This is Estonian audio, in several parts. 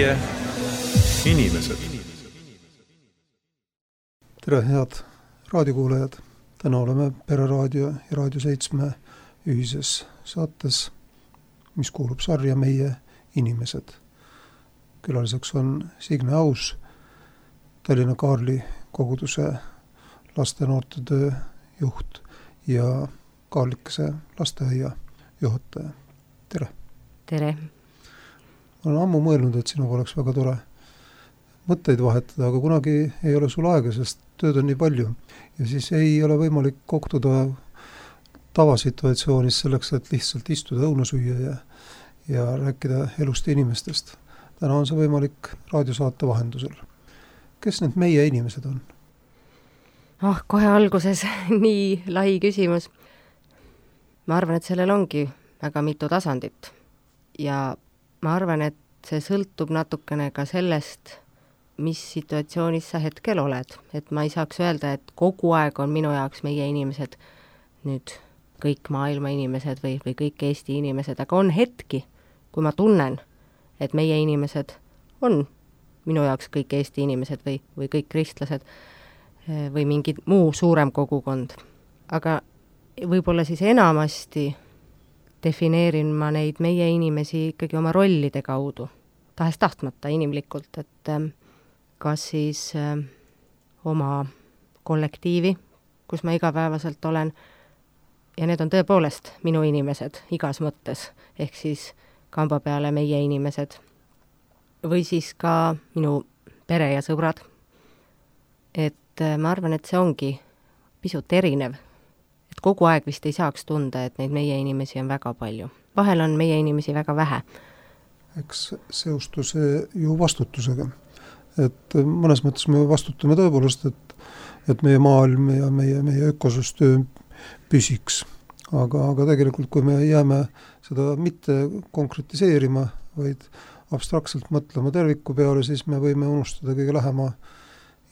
meie inimesed. Tere, head raadiokuulajad! Täna oleme Pereraadio ja Raadio 7 ühises saates, mis kuulub sarja Meie inimesed. Külaliseks on Signe Aus, Tallinna Kaarli koguduse laste- ja noortetöö juht ja Kaarlikese lasteaia juhataja. Tere! Tere! Ma olen ammu mõelnud, et sinuga oleks väga tore mõtteid vahetada, aga kunagi ei ole sul aega, sest tööd on nii palju. Ja siis ei ole võimalik kohtuda tavasituatsioonis selleks, et lihtsalt istuda õuna süüa ja rääkida elust ja inimestest. Täna on see võimalik raadiosaate vahendusel. Kes need meie inimesed on? Kohe alguses nii lai küsimus. Ma arvan, et sellel ongi väga mitu tasandit. Ja ma arvan, et see sõltub natukene ka sellest, mis situatsioonis sa hetkel oled. Et ma ei saaks öelda, et kogu aeg on minu jaoks meie inimesed, nüüd kõik maailma inimesed või kõik Eesti inimesed, aga on hetki, kui ma tunnen, et meie inimesed on minu jaoks kõik Eesti inimesed või kõik kristlased või mingi muu suurem kogukond. Aga võib-olla siis enamasti defineerin ma neid meie inimesi ikkagi oma rollide kaudu, tahes tahtmata inimlikult, et kas siis oma kollektiivi, kus ma igapäevaselt olen, ja need on tõepoolest minu inimesed igas mõttes, ehk siis kamba peale meie inimesed, või siis ka minu pere ja sõbrad. Et ma arvan, et see ongi pisut erinev. Et kogu aeg vist ei saaks tunda, et neid meie inimesi on väga palju. Vahel on meie inimesi väga vähe. Eks seostu see ju vastutusega. Et mõnes mõttes me vastutame tõepoolest, et meie maailm ja meie ökosüsteem püsiks. Aga tegelikult, kui me jääme seda mitte konkretiseerima, vaid abstraktselt mõtlema terviku peale, siis me võime unustada kõige lähema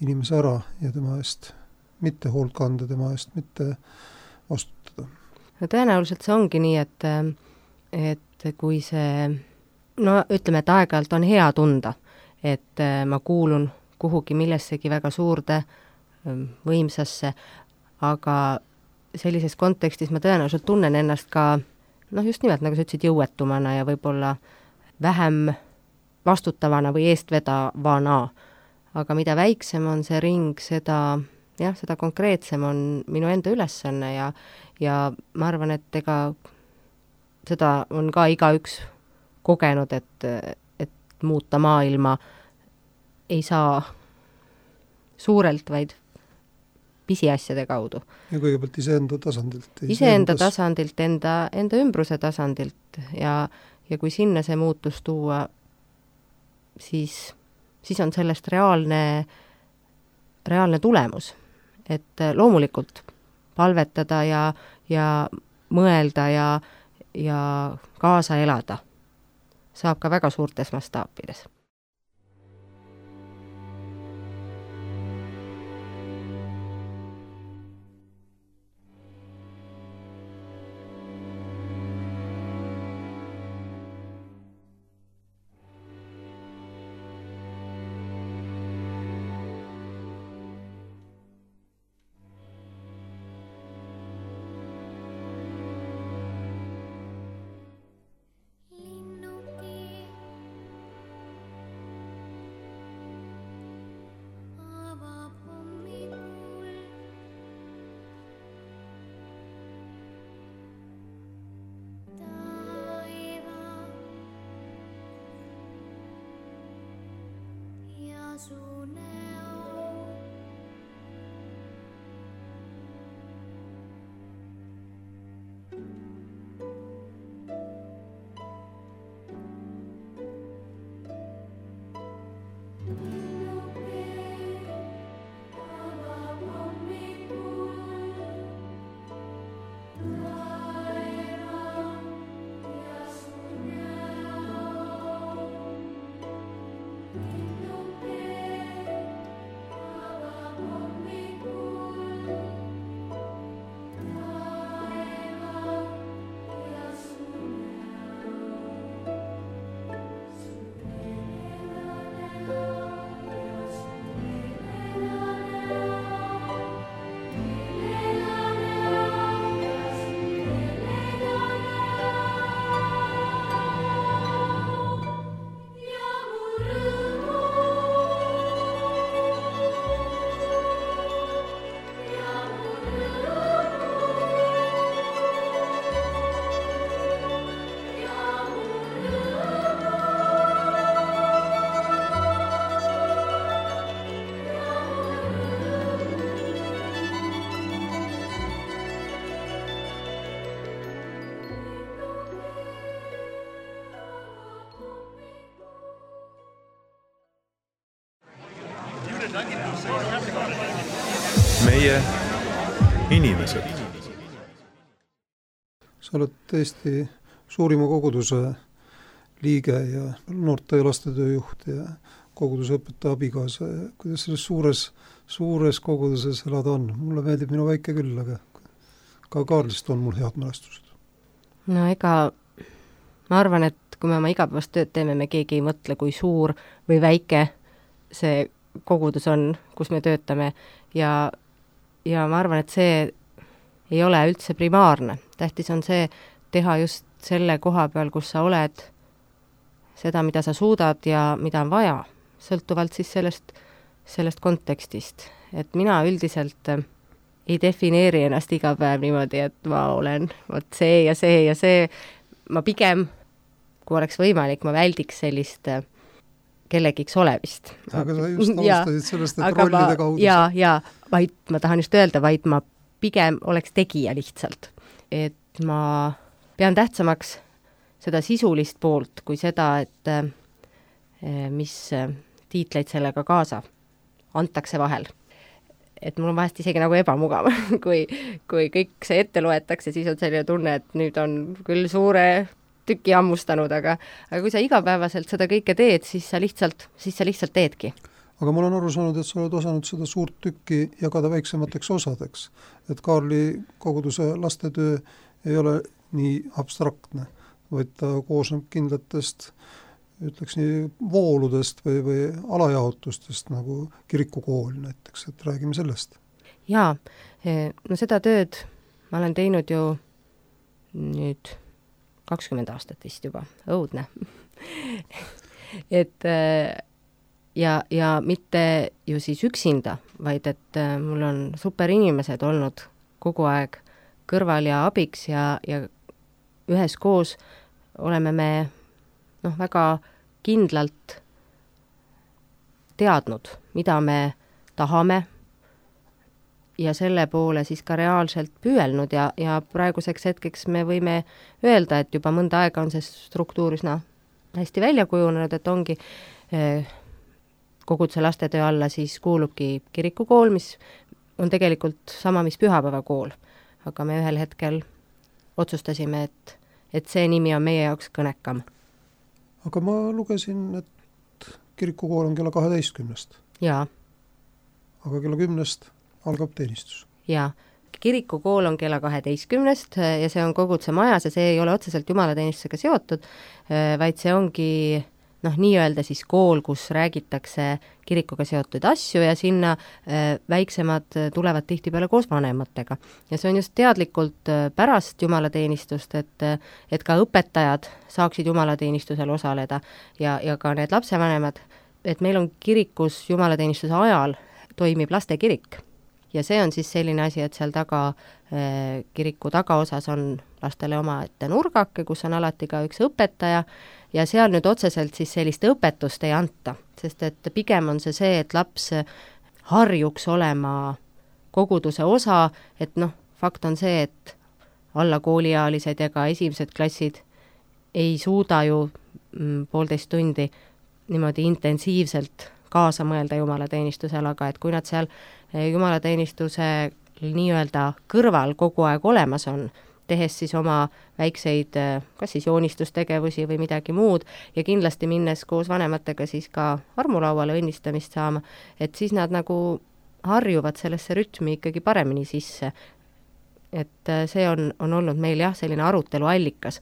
inimese ära ja tema eest mitte hoolt kanda, tema eest mitte vastutada. No tõenäoliselt see ongi nii, et kui see, ütleme, et aeg-ajalt on hea tunda, et ma kuulun kuhugi millessegi väga suurde võimsasse, aga sellises kontekstis ma tõenäoliselt tunnen ennast ka, just nimelt, nagu sa ütlesid, jõuetumana ja võib-olla vähem vastutavana või eestvedavana. Aga mida väiksem on see ring, seda konkreetsem on minu enda ülesanne ja ma arvan, et ega seda on ka igaüks kogenud, et muuta maailma ei saa suurelt, vaid pisiasjade kaudu. Ja kõigepealt iseenda tasandilt. Iseenda tasandilt, enda ümbruse tasandilt ja kui sinna see muutus tuua, siis on sellest reaalne tulemus. Et loomulikult palvetada ja mõelda ja kaasa elada saab ka väga suurtes mastaapides. meie inimesed. Sa oled Eesti suurima koguduse liige ja noorte ja lastetöö juht ja koguduse õpetaja abikaasa. Kuidas selles suures koguduses elada on? Mulle meeldib minu väike küll, aga ka Kaarlist on mul head mälestused. No ega ma arvan, et kui me oma igapäevast tööd teeme, me keegi ei mõtle, kui suur või väike see kogudus on, kus me töötame ja ma arvan, et see ei ole üldse primaarne. Tähtis on see teha just selle koha peal, kus sa oled, seda, mida sa suudad ja mida on vaja, sõltuvalt siis sellest kontekstist. Et mina üldiselt ei defineeri ennast iga päev niimoodi, et ma olen see ja see ja see. Ma pigem, kui oleks võimalik, ma väldiks sellist kellegiks olevist. Aga sa just alustasid sellest, et rollide kaudu. Ja, vaid ma tahan just öelda, vaid ma pigem oleks tegija lihtsalt. Et ma pean tähtsamaks seda sisulist poolt kui seda, et mis tiitleid sellega kaasa antakse vahel. Et mul on vahest isegi nagu ebamugav, kui kõik see ette loetakse, siis on selline tunne, et nüüd on küll suure tüki hammustanud, aga kui sa igapäevaselt seda kõike teed, siis sa lihtsalt teedki. Aga ma olen aru saanud, et sa oled osanud seda suurt tükki jagada väiksemateks osadeks. Et Kaarli koguduse lastetöö ei ole nii abstraktne, vaid ta koosneb kindlatest, ütleks nii, vooludest või alajaotustest, nagu kirikukool näiteks, et räägime sellest. Jaa, no seda tööd ma olen teinud ju nüüd 20 aastat vist juba, õudne. Et ja mitte ju siis üksinda, vaid et mul on super inimesed olnud kogu aeg kõrval ja abiks ja üheskoos oleme me väga kindlalt teadnud, mida me tahame ja selle poole siis ka reaalselt püüelnud ja praeguseks hetkeks me võime öelda, et juba mõnda aega on see struktuur üsna hästi välja kujunenud, et ongi koguduse lastetöö alla siis kuulubki kirikukool, mis on tegelikult sama, mis pühapäevakool, aga me ühel hetkel otsustasime, et see nimi on meie jaoks kõnekam. Aga ma lugesin, et kirikukool on kella 12. Jaa. Aga kella 10 algab teenistus. Jaa. Kirikukool on kella 12 ja see on koguduse majas ja see ei ole otseselt jumalateenistusega seotud, vaid see ongi nii-öelda siis kool, kus räägitakse kirikuga seotud asju ja sinna väiksemad tulevad tihtipeale koos vanematega. Ja see on just teadlikult pärast jumalateenistust, et ka õpetajad saaksid jumalateenistusel osaleda ja ka need lapsevanemad, et meil on kirikus jumalateenistuse ajal toimib lastekirik. Ja see on siis selline asi, et seal taga, kiriku tagaosas on lastele oma ette nurgake, kus on alati ka üks õpetaja ja seal nüüd otseselt siis sellist õpetust ei anta, sest et pigem on see, et laps harjuks olema koguduse osa, et fakt on see, et alla kooliealised ja ka esimesed klassid ei suuda ju 1,5 tundi niimoodi intensiivselt kaasa mõelda jumalateenistusel, aga et kui nad seal jumalateenistuse nii-öelda kõrval kogu aeg olemas on, tehes siis oma väikseid, kas siis joonistustegevusi või midagi muud ja kindlasti minnes koos vanematega siis ka armulauale õnnistamist saama, et siis nad nagu harjuvad sellesse rütmi ikkagi paremini sisse. Et see on olnud meil selline arutelu allikas,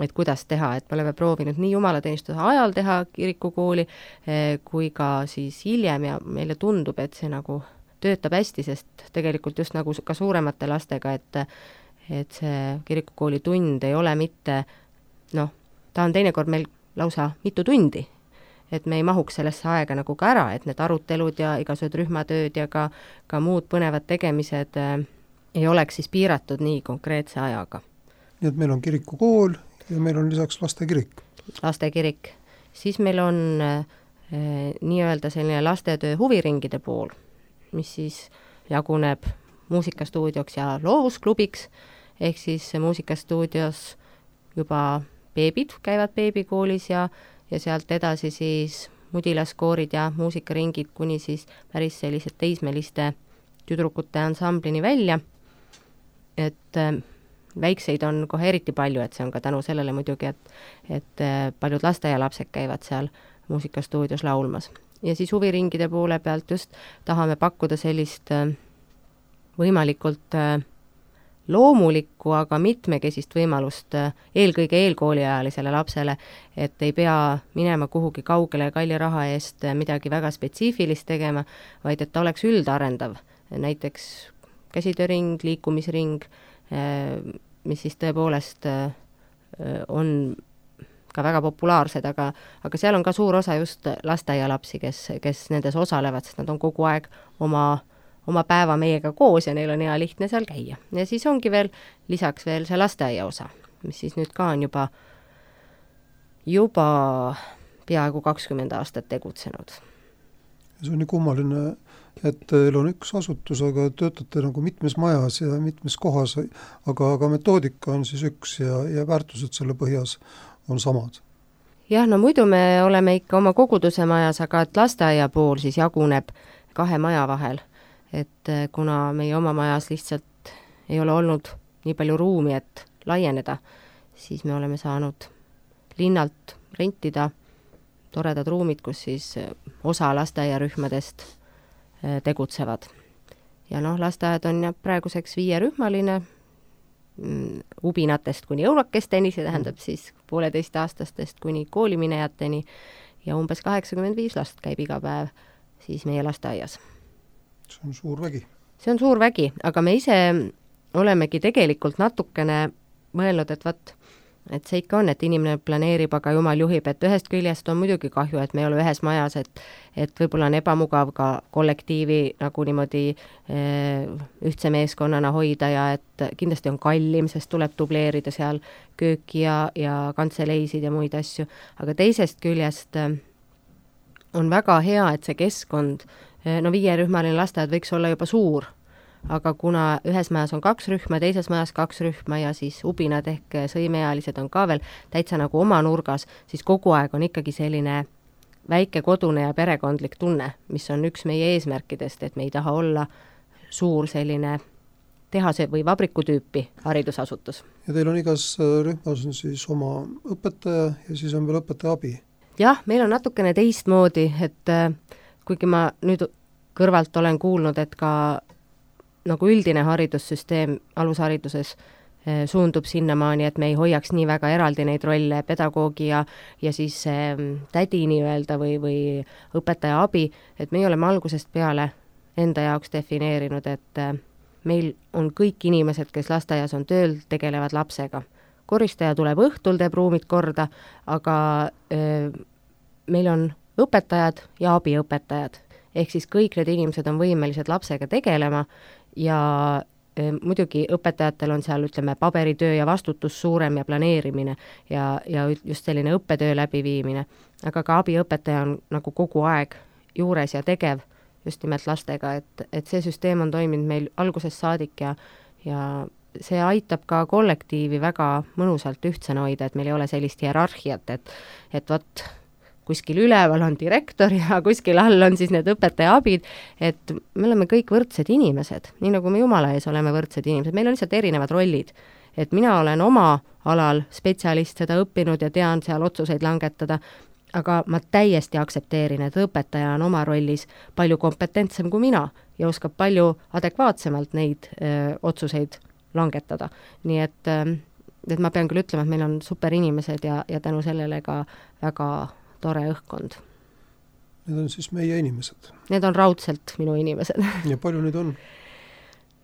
et kuidas teha, et me oleme proovinud nii jumalateenistuse ajal teha kirikukooli kui ka siis hiljem ja meile tundub, et see nagu töötab hästi, sest tegelikult just nagu ka suuremate lastega, et see kirikukooli tund ei ole mitte, ta on teinekord meil lausa mitu tundi, et me ei mahuks sellesse aega nagu ka ära, et need arutelud ja igasugused rühmatööd ja ka muud põnevad tegemised ei oleks siis piiratud nii konkreetse ajaga. Nii et meil on kirikukool ja meil on lisaks lastekirik. Lastekirik. Siis meil on nii-öelda selline lastetöö huviringide pool, mis siis jaguneb muusikastuudioks ja loovusklubiks, ehk siis muusikastuudios juba beebid käivad beebikoolis ja sealt edasi siis mudilaskoorid ja muusikaringid kuni siis päris sellised teismeliste tüdrukute ansamblini välja, et väikseid on kohe eriti palju, et see on ka tänu sellele muidugi, et paljud lasteaialapsed käivad seal muusikastuudios laulmas. Ja siis huviringide poole pealt just tahame pakkuda sellist võimalikult loomulikku, aga mitmekesist võimalust eelkõige eelkooliajalisele lapsele, et ei pea minema kuhugi kaugele kalli raha eest midagi väga spetsiifilist tegema, vaid et ta oleks üldarendav. Näiteks käsitööring, liikumisring, mis siis tõepoolest on ka väga populaarsed, aga seal on ka suur osa just lasteaialapsi, kes nendes osalevad, sest nad on kogu aeg oma päeva meiega koos ja neil on hea lihtne seal käia. Ja siis ongi veel lisaks veel see lasteaia osa, mis siis nüüd ka on juba peaaegu 20 aastat tegutsenud. See on nii kummaline, et teil on üks asutus, aga töötate nagu mitmes majas ja mitmes kohas, aga metoodika on siis üks ja väärtused selle põhjas on samad. Jah, no muidu me oleme ikka oma koguduse majas, aga et lasteaia pool siis jaguneb 2 maja vahel. Et kuna meie oma majas lihtsalt ei ole olnud nii palju ruumi, et laieneda, siis me oleme saanud linnalt rentida toredad ruumid, kus siis osa lasteaiarühmadest tegutsevad. Ja lasteaed on praeguseks 5-rühmaline, ubinatest kuni õunakesteni, see tähendab siis 1,5-aastastest kuni kooliminejateni ja umbes 85 last käib iga päev siis meie lasteaias. See on suur vägi. See on suur vägi, aga me ise olemegi tegelikult natukene mõelnud, et see ikka on, et inimene planeerib, aga jumal juhib, et ühest küljest on muidugi kahju, et me ei ole ühes majas, et võib-olla on ebamugav ka kollektiivi nagu niimoodi ühtse meeskonnana hoida ja et kindlasti on kallim, sest tuleb dubleerida seal kööki ja kantseleisid ja muid asju, aga teisest küljest on väga hea, et see keskkond, 5-rühmaline lasteaed võiks olla juba suur, aga kuna ühes majas on 2 rühma, teises majas 2 rühma ja siis ubinad ehk sõimeealised on ka veel täitsa nagu oma nurgas, siis kogu aeg on ikkagi selline väike kodune ja perekondlik tunne, mis on üks meie eesmärkidest, et me ei taha olla suur selline tehase või vabriku tüüpi haridusasutus. Ja teil on igas rühmas on siis oma õpetaja ja siis on veel õpetaja abi? Jah, meil on natukene teistmoodi, et kuigi ma nüüd kõrvalt olen kuulnud, et ka nagu üldine haridussüsteem alushariduses suundub sinnamaani, et me ei hoiaks nii väga eraldi neid rolle, pedagoogi ja siis tädi nii-öelda või õpetaja abi, et me oleme algusest peale enda jaoks defineerinud, et meil on kõik inimesed, kes lasteaias on tööl, tegelevad lapsega. Koristaja tuleb õhtul, teeb ruumid korda, aga meil on õpetajad ja abiõpetajad. Ehk siis kõik need inimesed on võimelised lapsega tegelema ja muidugi õpetajatel on seal, ütleme, paberitöö ja vastutus suurem ja planeerimine ja just selline õppetöö läbiviimine. Aga ka abiõpetaja on nagu kogu aeg juures ja tegev just nimelt lastega, et see süsteem on toiminud meil algusest saadik ja see aitab ka kollektiivi väga mõnusalt ühtsena hoida, et meil ei ole sellist hierarhiat, et kuskil üleval on direktor ja kuskil all on siis need õpetaja abid, et me oleme kõik võrdsed inimesed, nii nagu me Jumala ees oleme võrdsed inimesed, meil on lihtsalt erinevad rollid. Et mina olen oma alal spetsialist, seda õppinud ja tean seal otsuseid langetada, aga ma täiesti aktsepteerin, et õpetaja on oma rollis palju kompetentsem kui mina ja oskab palju adekvaatsemalt neid otsuseid langetada. Nii et ma pean küll ütlema, et meil on super inimesed ja tänu sellele ka väga tore õhkkond. Need on siis meie inimesed? Need on raudselt minu inimesed. Ja palju neid on?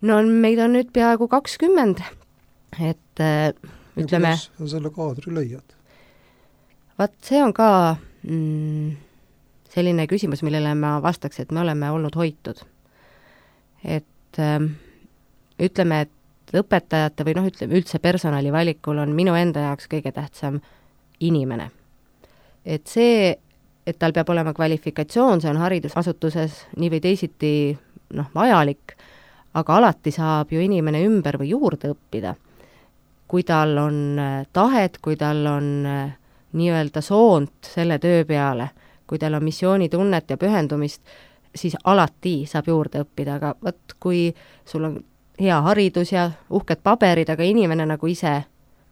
No meid on nüüd peaaegu 20, et ütleme... Ja kuidas selle kaadri leiad? See on ka selline küsimus, millele ma vastaks, et me oleme olnud hoitud. Et ütleme, et õpetajate või ütleme üldse personali valikul on minu enda jaoks kõige tähtsam inimene. Et see, et tal peab olema kvalifikatsioon, see on haridusasutuses nii või teisiti vajalik, aga alati saab ju inimene ümber või juurde õppida. Kui tal on tahet, kui tal on nii-öelda soont selle töö peale, kui teil on missioonitunnet ja pühendumist, siis alati saab juurde õppida, aga vot kui sul on hea haridus ja uhked paberid, aga inimene nagu ise,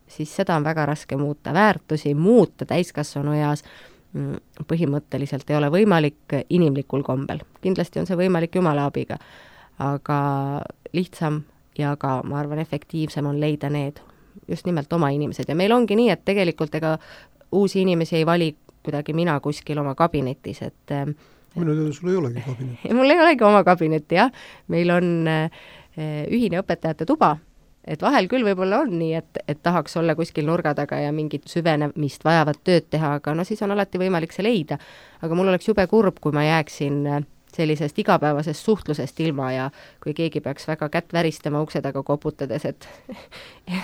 siis seda on väga raske muuta. Väärtusi muuta täiskasvanu eas põhimõtteliselt ei ole võimalik inimlikul kombel. Kindlasti on see võimalik Jumala abiga, aga lihtsam ja ka, ma arvan, efektiivsem on leida need just nimelt oma inimesed. Ja meil ongi nii, et tegelikult ega uusi inimesi ei vali kuidagi mina kuskil oma kabinetis, et minu teada sul ei olegi kabinetti. Mul ei olegi oma kabinetti, jah. Meil on ühine õpetajate tuba, et vahel küll võib-olla on nii, et tahaks olla kuskil nurga taga ja mingit süvenemist vajavat tööd teha, aga no siis on alati võimalik see leida. Aga mul oleks jube kurb, kui ma jääksin sellisest igapäevasest suhtlusest ilma ja kui keegi peaks väga kätt väristama ukse taga koputades, et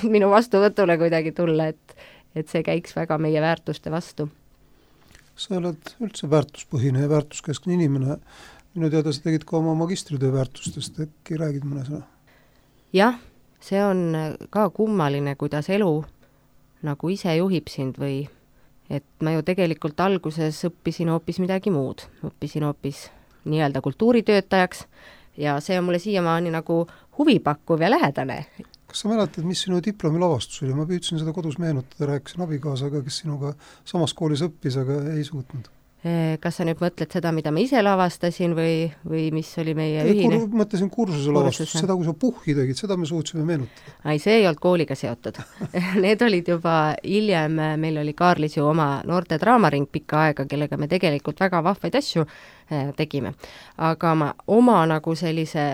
minu vastuvõtule kuidagi tulla, et see käiks väga meie väärtuste vastu. Sa oled üldse väärtuspõhine ja väärtuskeskne inimene. Minu teada sa tegid ka oma magistritöö väärtustest, äkki räägid mõne sõna? Jah, see on ka kummaline, kuidas elu nagu ise juhib sind või et ma ju tegelikult alguses õppisin hoopis midagi muud. Õppisin hoopis nii-öelda kultuuritöötajaks ja see on mulle siiamaani nagu huvipakkuv ja lähedane. Kas sa mäletad, mis sinu diplomi lavastus oli? Ma püüdsin seda kodus meenutada, rääkisin abikaasaga, kes sinuga samas koolis õppis, aga ei suutnud. Kas sa nüüd mõtled seda, mida ma ise lavastasin või mis oli meie ühine? Mõtlesin kursuse lavastust, seda kui sa puhhi tegid, seda me suutsime meenutada. Ai, see ei olnud kooliga seotud. Need olid juba hiljem, meil oli Kaarlis ju oma noorte draamaring pikka aega, kellega me tegelikult väga vahvaid asju tegime. Aga ma oma nagu sellise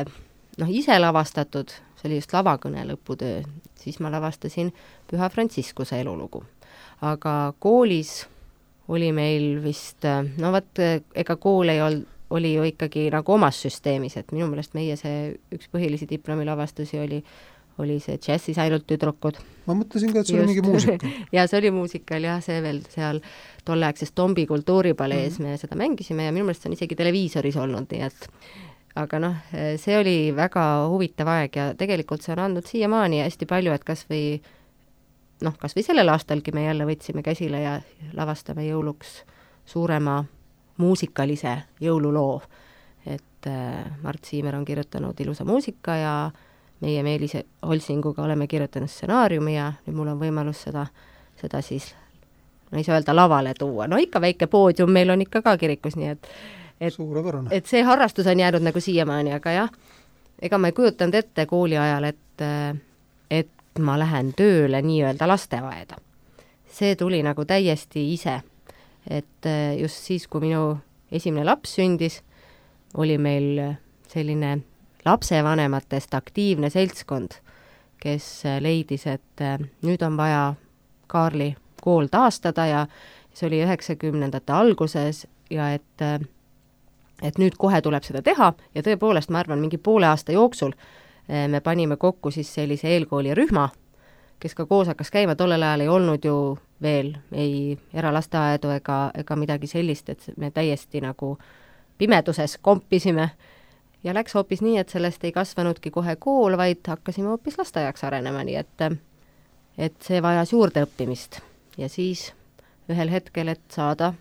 ise lavastatud, see oli just lavakõne lõputöö, siis ma lavastasin Püha Frantsiskuse elulugu. Aga koolis oli meil vist, ega kool oli ju ikkagi nagu omas süsteemis, et minu meelest meie see üks põhilisi diplomilavastusi oli see džässis ainult tüdrukud. Ma mõtlesin ka, et see oli mingi muusika. Ja see oli muusikal, jah, see veel seal tolleaegses Tombi kultuuripalees me seda mängisime ja minu meelest see on isegi televiisoris olnud, nii et aga see oli väga huvitav aeg ja tegelikult see on andnud siiamaani hästi palju, et kas või sellel aastalgi me jälle võtsime käsile ja lavastame jõuluks suurema muusikalise jõululoo. Et Mart Siimer on kirjutanud ilusa muusika ja meie Meelise Holsinguga oleme kirjutanud stsenaariumi ja nüüd mul on võimalus seda siis, ei saa öelda lavale tuua. Ikka väike poodium meil on ikka ka kirikus, nii et see harrastus on jäänud nagu siiamaani, aga jah, ega ma ei kujutanud ette kooli ajal, et ma lähen tööle nii-öelda lasteaeda. See tuli nagu täiesti ise, et just siis, kui minu esimene laps sündis, oli meil selline lapsevanematest aktiivne seltskond, kes leidis, et nüüd on vaja Kaarli kool taastada ja see oli 90ndate alguses ja et nüüd kohe tuleb seda teha ja tõepoolest, ma arvan, mingi poole aasta jooksul me panime kokku siis sellise eelkoolirühma, kes ka koos hakkas käima, tollel ajal ei olnud ju veel ei eralasteaedu ega midagi sellist, et me täiesti nagu pimeduses kompisime ja läks hoopis nii, et sellest ei kasvanudki kohe kool, vaid hakkasime hoopis lasteaiaks arenema, nii et see vajas juurde õppimist ja siis ühel hetkel, et saada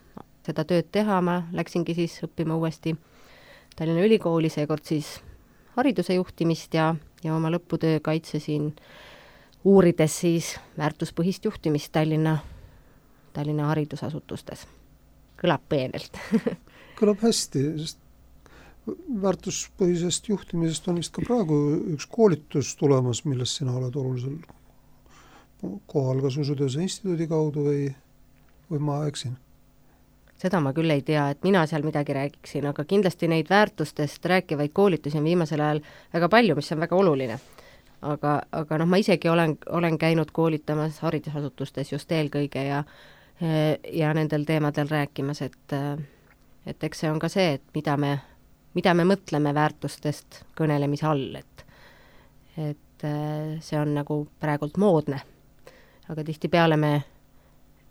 seda tööd teha, ma läksingi siis õppima uuesti Tallinna Ülikooli, seekord siis hariduse juhtimist ja oma lõputöö kaitsesin uurides siis väärtuspõhist juhtimist Tallinna haridusasutustes. Kõlab peenelt. Kõlab hästi, sest väärtuspõhisest juhtimisest on vist ka praegu üks koolitus tulemas, milles sina oled olulisel kohal, kas Usutööse instituudi kaudu või ma eksin? Seda ma küll ei tea, et mina seal midagi räägiksin, aga kindlasti neid väärtustest rääkivaid koolitusi on viimasel ajal väga palju, mis on väga oluline. Aga ma isegi olen käinud koolitamas haridusasutustes just eelkõige ja nendel teemadel rääkimas, et eks see on ka see, et mida me mõtleme väärtustest kõnelemise all, et see on nagu praegult moodne. Aga tihtipeale me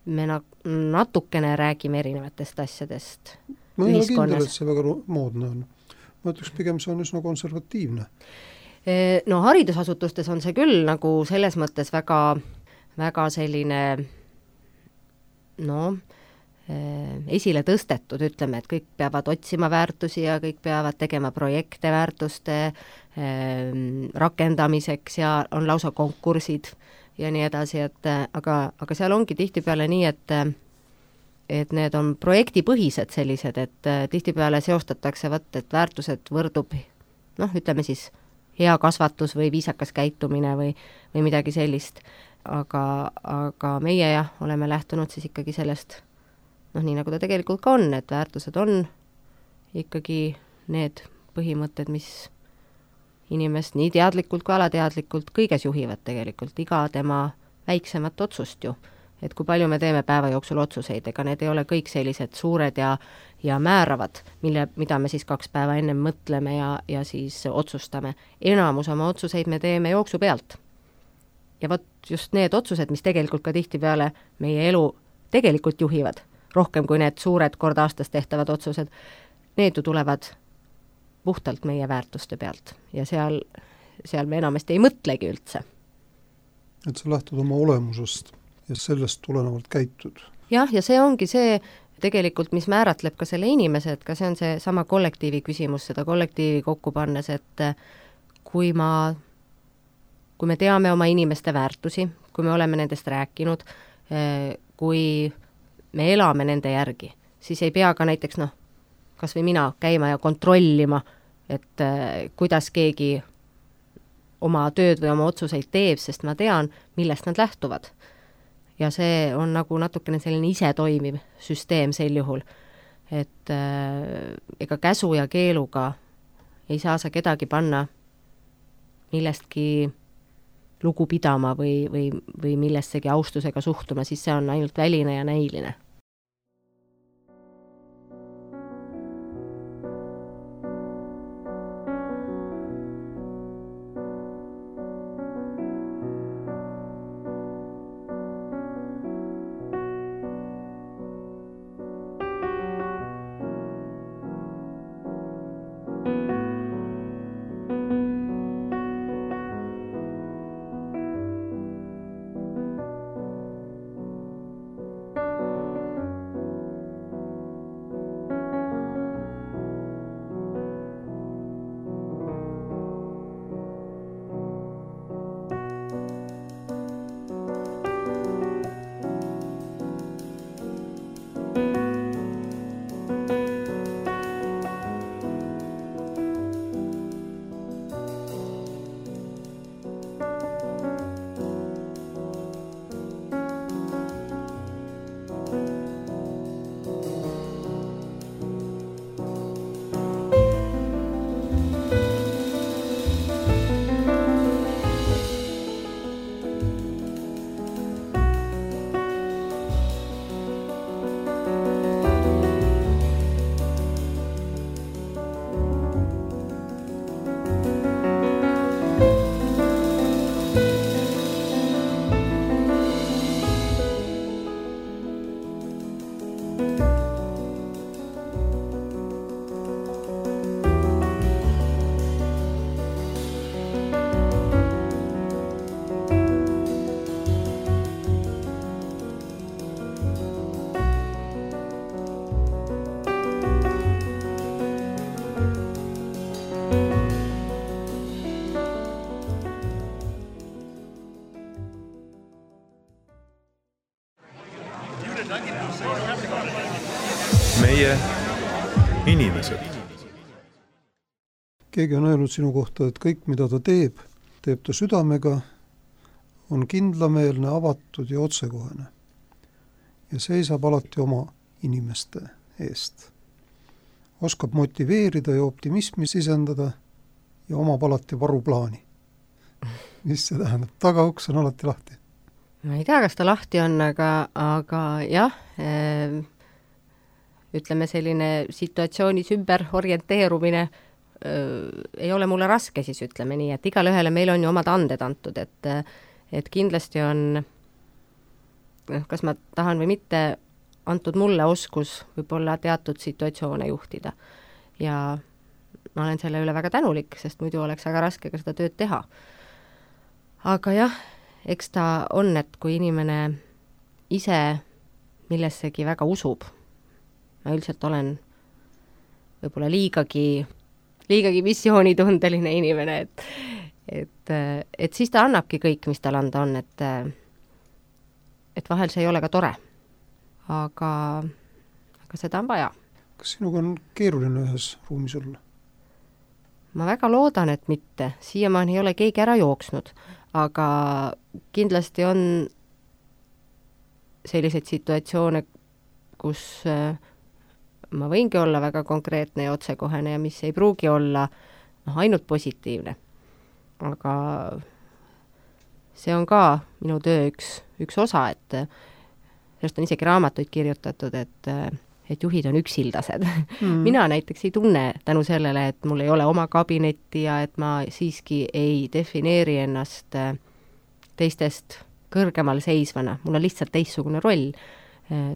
natukene räägime erinevatest asjadest ma ei ole kindel, et see väga moodne on. Ma ütleks pigem see on üsna konservatiivne. Haridusasutustes on see küll nagu selles mõttes väga, väga selline esile tõstetud, ütleme, et kõik peavad otsima väärtusi ja kõik peavad tegema projekte väärtuste rakendamiseks ja on lausa konkursid ja nii edasi, et aga seal ongi tihtipeale nii, et need on projektipõhised sellised, et tihtipeale seostatakse, et väärtused võrdub, ütleme siis, hea kasvatus või viisakas käitumine või midagi sellist. Aga meie oleme lähtunud siis ikkagi sellest, nii nagu ta tegelikult ka on, et väärtused on ikkagi need põhimõtted, mis inimest nii teadlikult kui alateadlikult kõiges juhivad tegelikult, iga tema väiksemat otsust ju. Et kui palju me teeme päeva jooksul otsuseid, ega need ei ole kõik sellised suured ja määravad, mida me siis 2 päeva enne mõtleme ja siis otsustame. Enamus oma otsuseid me teeme jooksu pealt. Ja vot just need otsused, mis tegelikult ka tihtipeale meie elu tegelikult juhivad, rohkem kui need suured kord aastas tehtavad otsused, need ju tulevad puhtalt meie väärtuste pealt ja seal me enamasti ei mõtlegi üldse. Et sa lähtud oma olemusest ja sellest tulenevalt käitud. Jah, ja see ongi see tegelikult, mis määratleb ka selle inimese, et ka see on see sama kollektiivi küsimus, seda kollektiivi kokku pannes, et kui me teame oma inimeste väärtusi, kui me oleme nendest rääkinud, kui me elame nende järgi, siis ei pea ka näiteks, kas või mina käima ja kontrollima, et kuidas keegi oma tööd või oma otsuseid teeb, sest ma tean, millest nad lähtuvad. Ja see on nagu natukene selline ise toimiv süsteem sel juhul, et ega käsu ja keeluga ei saa sa kedagi panna millestki lugu pidama või millessegi austusega suhtuma, siis see on ainult väline ja näiline. Meie inimesed. Keegi on öelnud sinu kohta, et kõik, mida ta teeb ta südamega, on kindlameelne, avatud ja otsekohene. Ja seisab alati oma inimeste eest. Oskab motiveerida ja optimismi sisendada ja omab alati varuplaani. Mis see tähendab? Tagauks on alati lahti. Ma ei tea, kas ta lahti on, aga jah, ütleme selline situatsioonis ümber orienteerumine ei ole mulle raske, siis ütleme nii, et igale ühele meil on ju omad anded antud, et kindlasti on, kas ma tahan või mitte, antud mulle oskus võib-olla teatud situatsioone juhtida. Ja ma olen selle üle väga tänulik, sest muidu oleks väga raske ka seda tööd teha. Aga jah, eks ta on, et kui inimene ise millessegi väga usub ma üldiselt olen võib-olla liigagi missioonitundeline inimene, et siis ta annabki kõik, mis tal anda on, et vahel see ei ole ka tore. Aga seda on vaja. Kas sinuga on keeruline ühes ruumis olla? Ma väga loodan, et mitte. Siiamaani ei ole keegi ära jooksnud, aga kindlasti on selliseid situatsioone, kus ma võingi olla väga konkreetne ja otsekohene ja mis ei pruugi olla ainult positiivne. Aga see on ka minu töö üks osa, et sellest on isegi raamatuid kirjutatud, et juhid on üksildased. Mina näiteks ei tunne tänu sellele, et mul ei ole oma kabinetti ja et ma siiski ei defineeri ennast teistest kõrgemal seisvana. Mul on lihtsalt teistsugune roll.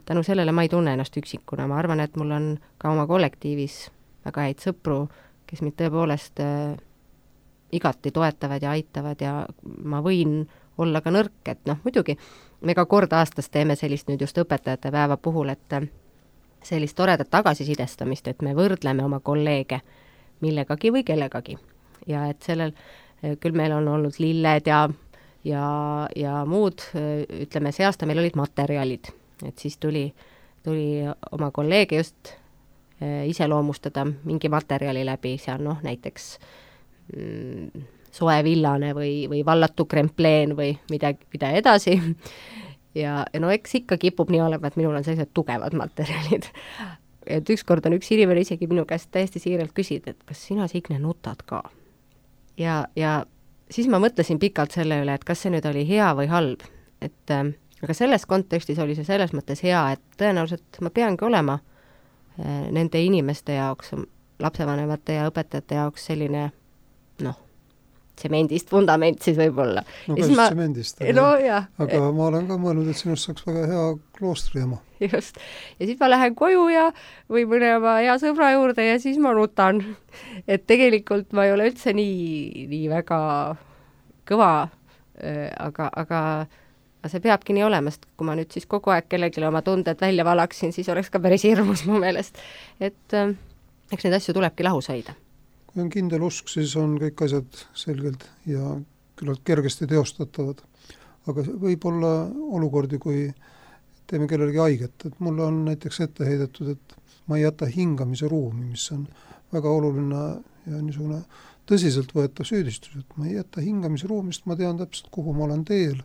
Tänu sellele ma ei tunne ennast üksikuna. Ma arvan, et mul on ka oma kollektiivis väga häid sõpru, kes mind tõepoolest igati toetavad ja aitavad ja ma võin olla ka nõrk, et muidugi me ka kord aastas teeme sellist nüüd just õpetajate päeva puhul, et sellist toredat tagasisidestamist, et me võrdleme oma kolleege millegagi või kellegagi. Ja et sellel, küll meil on olnud lilled ja muud, ütleme, see aasta meil olid materjalid, et siis tuli oma kolleege just iseloomustada mingi materjali läbi, seal näiteks soe villane või vallatu krempleen või mida edasi. Ja eks ikka kipub nii olema, et minul on sellised tugevad materjalid. Et ükskord on üks inimene isegi minu käest täiesti siiralt küsida, et kas sina, Signe, nutad ka? Ja siis ma mõtlesin pikalt selle üle, et kas see nüüd oli hea või halb. Aga selles kontekstis oli see selles mõttes hea, et tõenäoliselt ma peangi olema nende inimeste jaoks, lapsevanemate ja õpetajate jaoks selline tsemendist fundament siis võib-olla. No ka siis tsemendist. Aga ma olen ka mõelnud, et sinust saaks väga hea kloostriema. Just. Ja siis ma lähen koju või mõne oma hea sõbra juurde ja siis ma nutan. Et tegelikult ma ei ole üldse nii väga kõva, aga see peabki nii olema, sest kui ma nüüd siis kogu aeg kellelegi oma tunded välja valaksin, siis oleks ka päris hirmus mu meelest. Et eks neid asju tulebki lahus hoida. Kui on kindel usk, siis on kõik asjad selgelt ja küllalt kergesti teostatavad. Aga võib olla olukordi, kui teeme kellelegi haiget. Et mulle on näiteks ette heidetud, et ma ei jäta hingamise ruumi, mis on väga oluline ja niisugune tõsiselt võetav süüdistus. Et ma ei jäta hingamise ruumist, ma tean täpselt, kuhu ma olen teel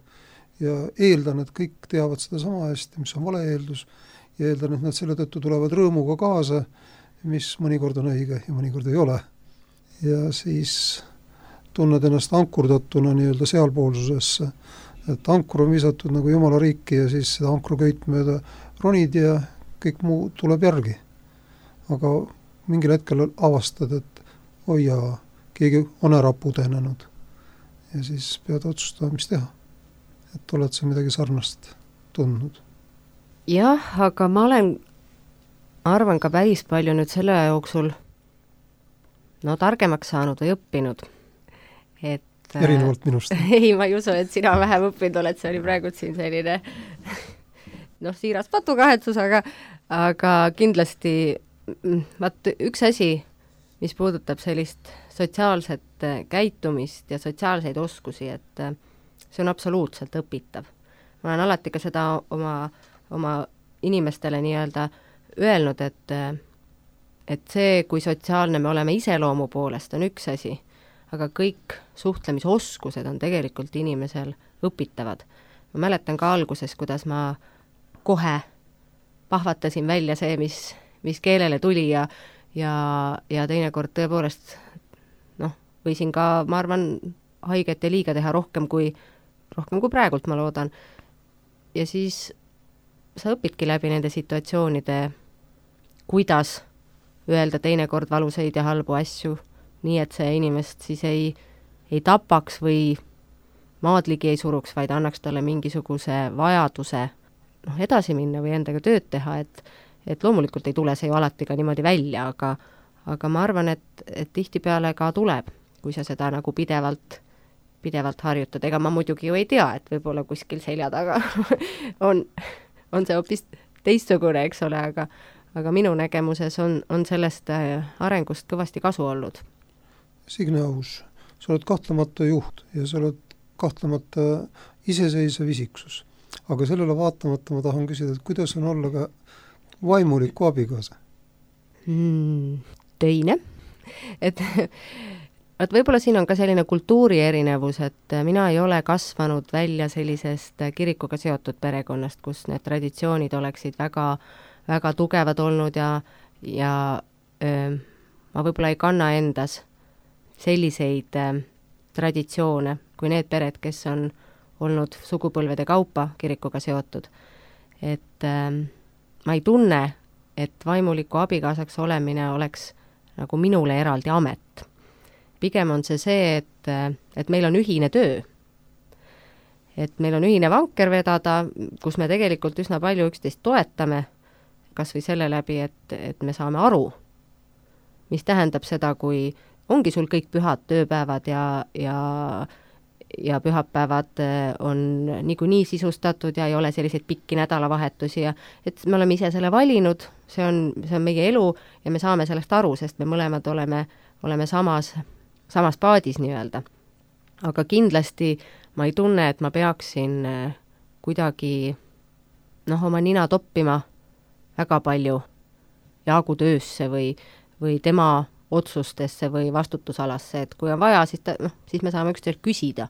ja eeldan, et kõik teavad seda sama hästi, mis on vale eeldus ja eeldan, et nad selle tõttu tulevad rõõmuga kaasa, mis mõnikord on õige ja mõnikord ei ole. Ja siis tunned ennast ankurdatuna nii-öelda sealpoolsusesse, et ankur on visatud nagu Jumala riiki ja siis seda ankruköit mööda ronid ja kõik muu tuleb järgi. Aga mingil hetkel avastad, et oi jaa, keegi on ära pudenenud ja siis pead otsustama, mis teha. Et oled sa midagi sarnast tundnud. Jah, aga ma arvan ka päris palju nüüd selle jooksul targemaks saanud või õppinud. Erinevalt minust. Ei, ma ei usu, et sina vähem õppinud oled, see oli praegu siin selline siiras patukahetsus, aga kindlasti üks asi, mis puudutab sellist sotsiaalset käitumist ja sotsiaalseid oskusi, et see on absoluutselt õpitav. Ma olen alati ka seda oma inimestele nii-öelda öelnud, et see, kui sotsiaalne me oleme iseloomu poolest, on üks asi, aga kõik suhtlemisoskused on tegelikult inimesel õpitavad. Ma mäletan ka alguses, kuidas ma kohe pahvatasin välja see, mis keelele tuli ja teinekord tõepoolest võisin ka, ma arvan, haiget ja liiga teha rohkem kui praegult, ma loodan. Ja siis sa õpidki läbi nende situatsioonide, kuidas öelda teinekord valusaid ja halbu asju, nii et see inimest siis ei tapaks või maadligi ei suruks, vaid annaks talle mingisuguse vajaduse edasi minna või endaga tööd teha, et loomulikult ei tule see ju alati ka niimoodi välja, aga ma arvan, et tihtipeale ka tuleb, kui sa seda nagu pidevalt harjutad. Ega ma muidugi ju ei tea, et võib-olla kuskil selja taga on see hoopis teistsugune, eks ole, aga minu nägemuses on sellest arengust kõvasti kasu olnud. Signe Aus, sa oled kahtlemata juht ja sa oled kahtlemata iseseisev isiksus. Aga sellele vaatamata ma tahan küsida, et kuidas on olla ka vaimuliku abikaasa? Teine. Et võib-olla siin on ka selline kultuuri erinevus, et mina ei ole kasvanud välja sellisest kirikuga seotud perekonnast, kus need traditsioonid oleksid väga, väga tugevad olnud ja ma võib-olla ei kanna endas selliseid traditsioone kui need pered, kes on olnud sugupõlvede kaupa kirikuga seotud. Et ma ei tunne, et vaimuliku abikaasaks olemine oleks nagu minule eraldi amet. Pigem on see, et meil on ühine töö. Et meil on ühine vanker vedada, kus me tegelikult üsna palju üksteist toetame, kas või selle läbi, et me saame aru, mis tähendab seda, kui ongi sul kõik pühad tööpäevad ja pühapäevad on niikuinii sisustatud ja ei ole selliseid pikki nädalavahetusi ja et me oleme ise selle valinud, see on meie elu ja me saame sellest aru, sest me mõlemad oleme samas paadis nii-öelda. Aga kindlasti ma ei tunne, et ma peaksin kuidagi oma nina toppima väga palju Jaagu töösse või tema otsustesse või vastutusalasse, et kui on vaja, siis me saame üksteiselt küsida.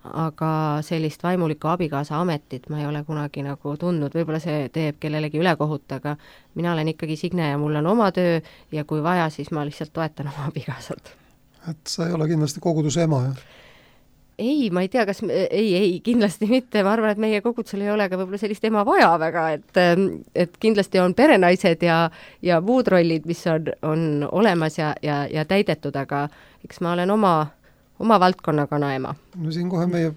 Aga sellist vaimuliku abikaasa ametit ma ei ole kunagi nagu tundnud, võib-olla see teeb kellelegi ülekohut, aga mina olen ikkagi Signe ja mul on oma töö ja kui vaja, siis ma lihtsalt toetan oma abikaasat. Et sa ei ole kindlasti koguduse ema, jah? Ei, ma ei tea, kas ei, kindlasti mitte. Ma arvan, et meie kogudusel ei ole ka võib-olla sellist ema vaja väga, et kindlasti on perenaised ja muud rollid, mis on olemas ja täidetud, aga eks ma olen oma valdkonna kanaema. No siin kohe meie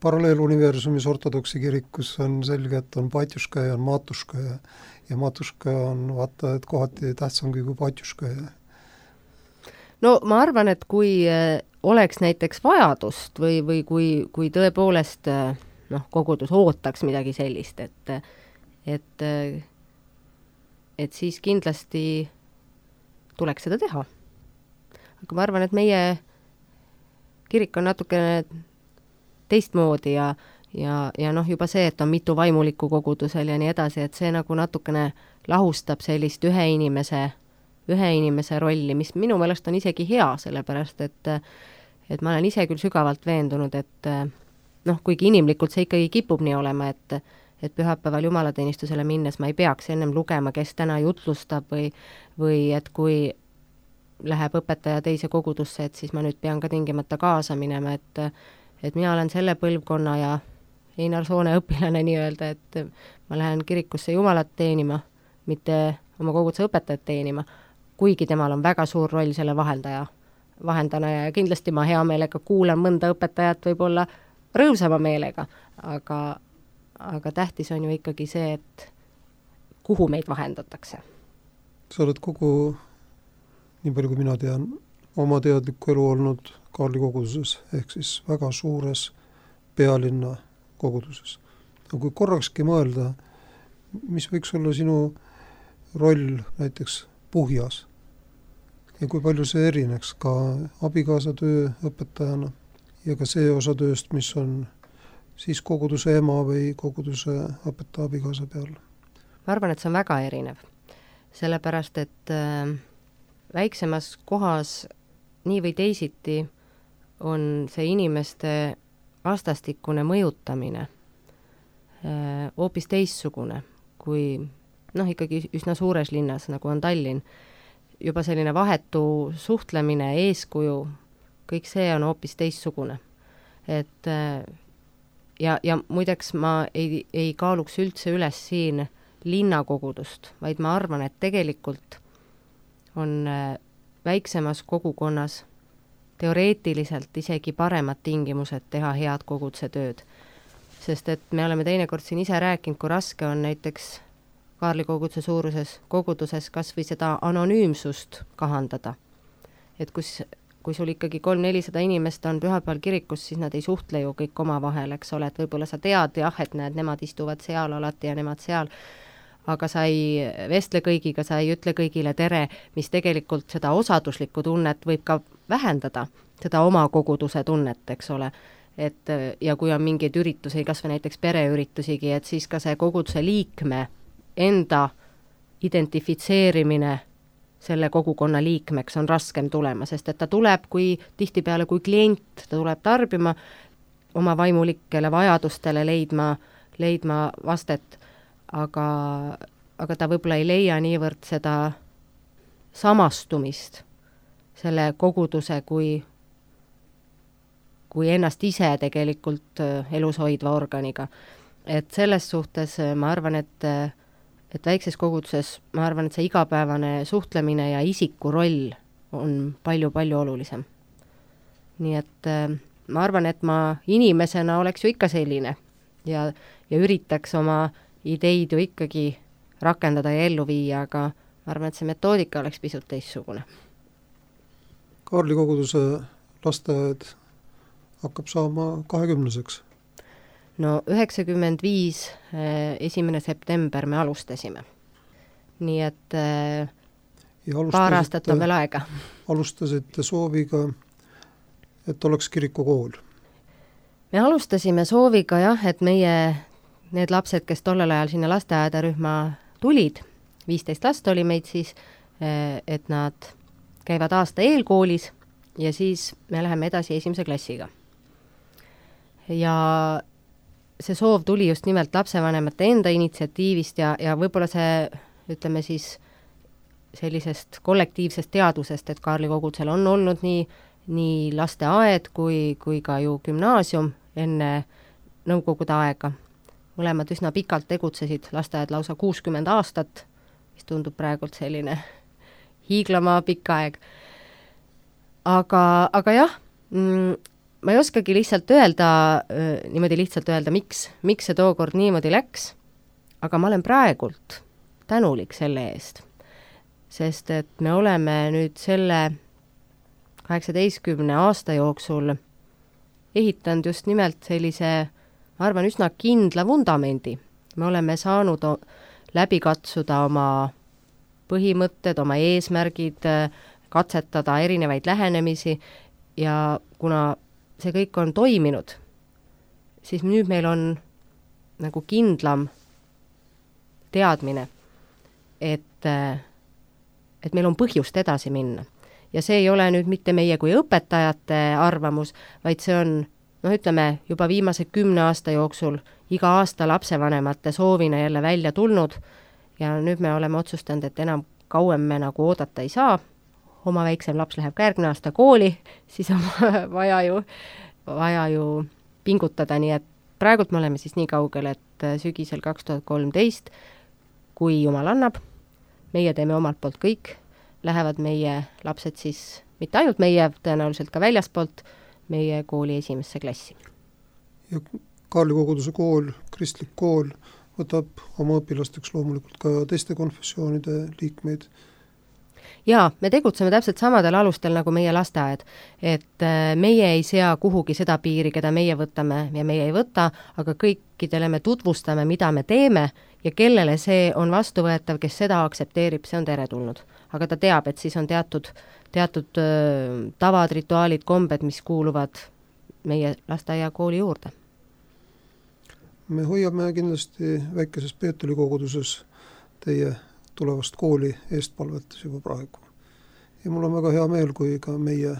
paralleeluniversumis ortodoksi kirikus on selge, et on patjuška ja on matuška ja matuška on vaata, et kohati tähtsamgi kui patjuška. No ma arvan, et kui oleks näiteks vajadust või kui tõepoolest kogudus ootaks midagi sellist, et siis kindlasti tuleks seda teha. Aga ma arvan, et meie kirik on natukene teistmoodi ja juba see, et on mitu vaimulikku kogudusel ja nii edasi, et see nagu natukene lahustab sellist ühe inimese rolli, mis minu meelest on isegi hea, sellepärast et ma olen ise küll sügavalt veendunud, et kuigi inimlikult see ikkagi kipub nii olema, et pühapäeval jumalateenistusele minnes ma ei peaks ennem lugema, kes täna jutlustab või et kui läheb õpetaja teise kogudusse, et siis ma nüüd pean ka tingimata kaasa minema, et mina olen selle põlvkonna ja Einar Soone õpilane nii-öelda, et ma lähen kirikusse jumalat teenima, mitte oma koguduse õpetajat teenima, kuigi temal on väga suur roll selle vahendana ja kindlasti ma hea meelega kuulan mõnda õpetajat võib-olla rõõmsama meelega, aga tähtis on ju ikkagi see, et kuhu meid vahendatakse. Sa oled kogu, nii palju kui mina tean, oma teadlikku elu olnud Kaarli koguduses, ehk siis väga suures pealinna koguduses. Aga kui korrakski mõelda, mis võiks olla sinu roll näiteks Puhjas ja kui palju see erineks ka abikaasa töö õpetajana ja ka see osa tööst, mis on siis koguduse ema või koguduse õpetaja abikaasa peal? Ma arvan, et see on väga erinev, sellepärast et väiksemas kohas nii või teisiti on see inimeste vastastikune mõjutamine hoopis teistsugune kui ikkagi üsna suures linnas, nagu on Tallinn. Juba selline vahetu suhtlemine, eeskuju, kõik see on hoopis teistsugune. Et ja muideks ma ei kaaluks üldse üles siin linnakogudust, vaid ma arvan, et tegelikult on väiksemas kogukonnas teoreetiliselt isegi paremad tingimused teha head koguduse tööd. Sest et me oleme teinekord siin ise rääkinud, kui raske on näiteks Kaarli koguduse suuruses koguduses kas või seda anonüümsust kahandada. Et kui sul ikkagi 300-400 inimest on pühapäeval kirikus, siis nad ei suhtle ju kõik oma vahel, eks ole, et võib-olla sa tead, jah, et näed, nemad istuvad seal alati ja nemad seal. aga sa ei vestle kõigiga, sa ei ütle kõigile tere, mis tegelikult seda osaduslikku tunnet võib ka vähendada, seda oma koguduse tunnet, eks ole. Et ja kui on mingeid üritusi, kas või näiteks pereüritusigi, et siis ka see koguduse liikme enda identifitseerimine selle kogukonna liikmeks on raskem tulema, sest et ta tuleb tihtipeale kui klient, ta tuleb tarbima, oma vaimulikele vajadustele leidma vastet, aga ta võib-olla ei leia niivõrd seda samastumist selle koguduse kui ennast ise tegelikult elus hoidva organiga. Et selles suhtes ma arvan, et väikses koguduses, ma arvan, et see igapäevane suhtlemine ja isiku roll on palju-palju olulisem. Nii et ma arvan, et ma inimesena oleks ju ikka selline ja üritaks oma ideid ju ikkagi rakendada ja ellu viia, aga ma arvan, et see metoodika oleks pisut teistsugune. Kaarli koguduse lasteaed hakkab saama 20-seks. No 95. 1. september me alustasime. Nii et paar aastat on veel aega. Alustasite sooviga, et oleks kirikukool. Me alustasime sooviga jah, et need lapsed, kes tollel ajal sinna lasteaedarühma tulid, 15 last oli meid siis, et nad käivad aasta eelkoolis ja siis me läheme edasi 1. klassiga. Ja see soov tuli just nimelt lapsevanemate enda initsiatiivist ja võib-olla see, ütleme siis, sellisest kollektiivsest teadusest, et Kaarli kogudusel on olnud nii lasteaed kui ka ju gümnaasium enne nõukogude aega. Mõlemad üsna pikalt tegutsesid, lasteaed lausa 60 aastat, mis tundub praegult selline hiiglama pikk aeg. Aga jah, ma ei oskagi niimoodi lihtsalt öelda, miks see tookord niimoodi läks, aga ma olen praegult tänulik selle eest, sest et me oleme nüüd selle 18 aasta jooksul ehitanud just nimelt sellise, ma arvan, üsna kindla vundamendi. Me oleme saanud läbi katsuda oma põhimõtted, oma eesmärgid, katsetada erinevaid lähenemisi ja kuna see kõik on toiminud, siis nüüd meil on nagu kindlam teadmine, et meil on põhjust edasi minna. Ja see ei ole nüüd mitte meie kui õpetajate arvamus, vaid see on, ütleme, juba viimase 10 aasta jooksul iga aasta lapsevanemate soovina jälle välja tulnud ja nüüd me oleme otsustanud, et enam kauem me nagu oodata ei saa. Oma väiksem laps läheb ka järgmine aasta kooli, siis on vaja ju pingutada, nii et praegult me oleme siis nii kaugel, et sügisel 2013, kui Jumal annab, meie teeme omalt poolt kõik, lähevad meie lapsed siis, mitte ainult meie, tõenäoliselt ka väljaspoolt, meie kooli 1. klassi. Ja Kaarli koguduse kool, kristlik kool, võtab oma õpilasteks loomulikult ka teiste konfessioonide liikmeid. Jaa, me tegutseme täpselt samadel alustel nagu meie lasteaed, et meie ei sea kuhugi seda piiri, keda meie võtame ja meie ei võta, aga kõikidele me tutvustame, mida me teeme ja kellele see on vastuvõetav, kes seda aktsepteerib, see on teretulnud. Aga ta teab, et siis on teatud tavad, rituaalid, kombed, mis kuuluvad meie lasteaia kooli juurde. Me hoiame kindlasti väikeses Peetri koguduses teie tulevast kooli eestpalvetas juba praegu. Ja mul on väga hea meel, kui ka meie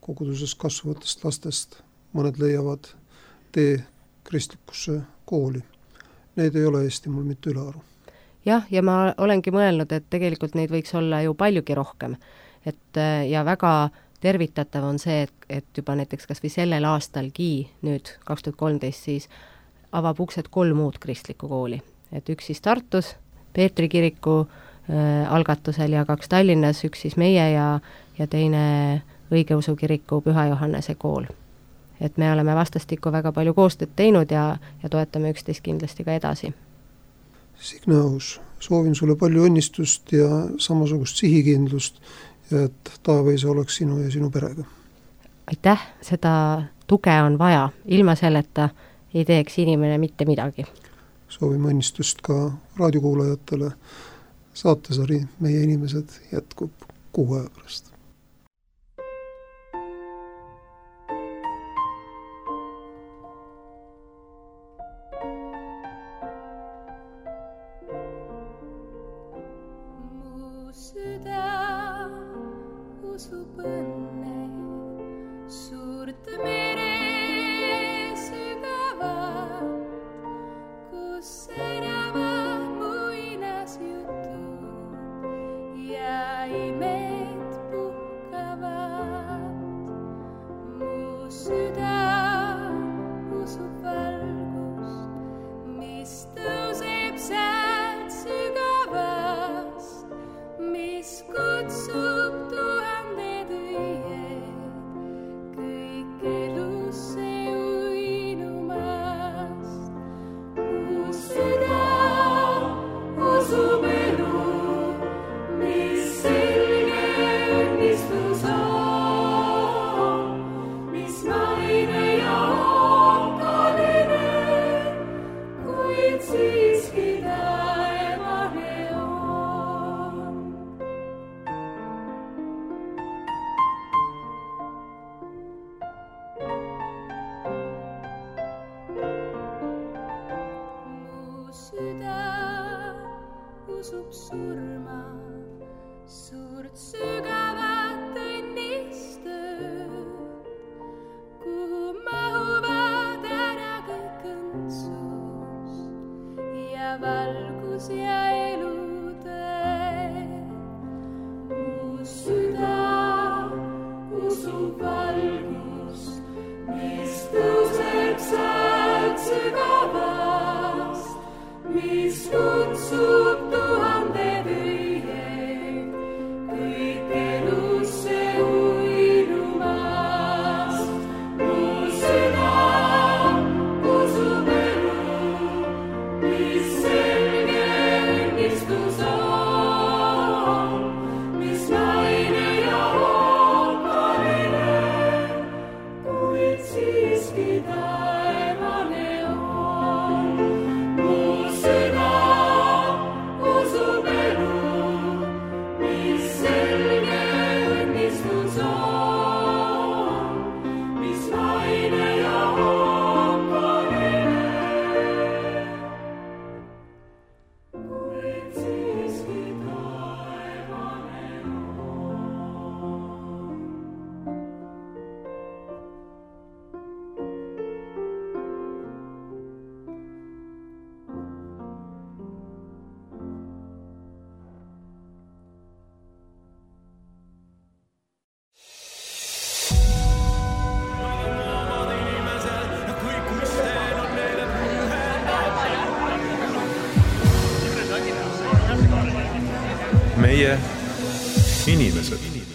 koguduses kasvavatest lastest mõned leiavad tee kristlikusse kooli. Neid ei ole Eesti mul mitte ülearu. Jah, ja ma olengi mõelnud, et tegelikult neid võiks olla ju paljugi rohkem. Ja väga tervitatav on see, et juba näiteks kas või sellel aastalgi, nüüd 2013, siis avab uksed 3 uut kristlikku kooli. Et üks siis Tartus, Peetri kiriku algatusel ja 2 Tallinnas, üks siis meie ja teine õigeusu kiriku Püha Johannese kool. Et me oleme vastastikku väga palju koostööd teinud ja toetame üksteist kindlasti ka edasi. Signe Aus, soovin sulle palju õnnistust ja samasugust sihikindlust ja et Taaveisa oleks sinu ja sinu perega. Aitäh, seda tuge on vaja. Ilma selleta ei teeks inimene mitte midagi. soovime õnnistust ka raadiokuulajatele. Saatesari Meie inimesed jätkub 6 aja pärast. Mu süda usub õnne suurt mere sügavat, kus särava muinasjutud ja imed puhkavad. Mu süda usub valgust, mis tõuseb sealt sügavast, mis kutsub tuhanded õied kõik elusse uinumast. Mu süda usub elu, mis selge õnnistus on, mis maine ja ookaline, kuid siiski taevane on. Mu süda usub surma, suurt sügavat õnnistööd, kuhu mahuvad ära kõik õndsus ja valgus ja elutee. Mu süda usub valgust, mis tõuseb sealt sügavast, mis kutsub tuhanded õied kõik elusse uinumast. Mu süda usub elu, mis selge õnnistus on, mis maine ja ookaline, kuid siiski taevane on. Mu süda usub elu, mis selge õnnistus on, mis maine ja ookaline, kuid siiski taevane on. Meie inimesed.